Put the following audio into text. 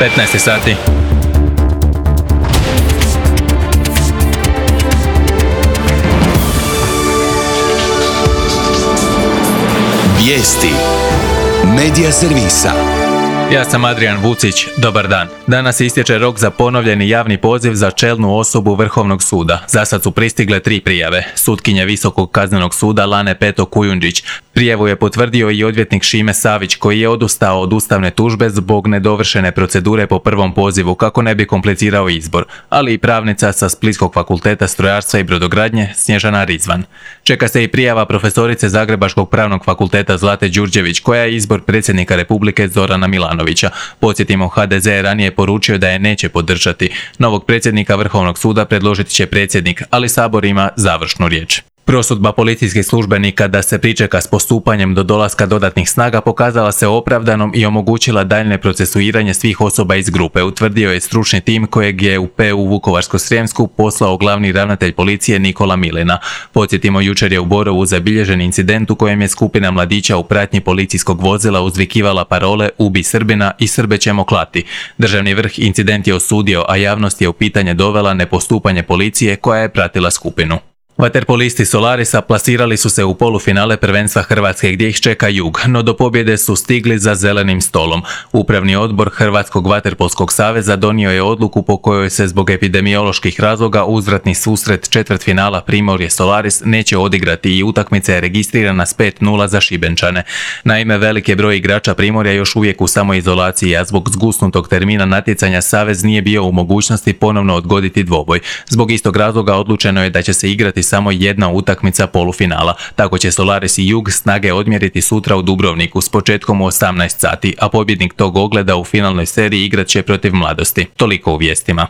15 sati. Vijesti Medija servisa. Ja sam Adrian Vucić, dobar dan. Danas istječe rok za ponovljeni javni poziv za čelnu osobu Vrhovnog suda. Za sad su pristigle 3 prijave. Sutkinje Visokog kaznenog suda Lane Peto Kujundžić. Prijavu je potvrdio i odvjetnik Šime Savić, koji je odustao od ustavne tužbe zbog nedovršene procedure po prvom pozivu kako ne bi komplicirao izbor, ali i pravnica sa Splitskog fakulteta strojarstva i brodogradnje Snježana Rizvan. Čeka se i prijava profesorice Zagrebačkog pravnog fakulteta Zlate Đurđević, koja je izbor predsjednika Republike Zorana Milanovića. Podsjetimo, HDZ je ranije poručio da je neće podržati. Novog predsjednika Vrhovnog suda predložit će predsjednik, ali Sabor ima završnu riječ. Prosudba policijskih službenika da se pričeka s postupanjem do dolaska dodatnih snaga pokazala se opravdanom i omogućila daljnje procesuiranje svih osoba iz grupe, utvrdio je stručni tim kojeg je u PU Vukovarsko-srijemsku poslao glavni ravnatelj policije Nikola Milina. Podsjetimo, jučer je u Borovu zabilježen incident u kojem je skupina mladića u pratnji policijskog vozila uzvikivala parole "Ubi Srbina" i "Srbe ćemo klati". Državni vrh incident je osudio, a javnost je u pitanje dovela nepostupanje policije koja je pratila skupinu. Vaterpolisti Solarisa plasirali su se u polufinale prvenstva Hrvatske gdje ih čeka Jug, no do pobjede su stigli za zelenim stolom. Upravni odbor Hrvatskog vaterpolskog saveza donio je odluku po kojoj se zbog epidemioloških razloga uzvratni susret četvrtfinala Primorje Solaris neće odigrati i utakmica je registrirana s 5:0 za Šibenčane. Naime, velik je broj igrača Primorja još uvijek u samoizolaciji, a zbog zgusnutog termina natjecanja savez nije bio u mogućnosti ponovno odgoditi dvoboj. Zbog istog razloga odlučeno je da će se igrati samo jedna utakmica polufinala. Tako će Solaris i Jug snage odmjeriti sutra u Dubrovniku s početkom u 18 sati, a pobjednik tog ogleda u finalnoj seriji igrat će protiv Mladosti. Toliko u vijestima.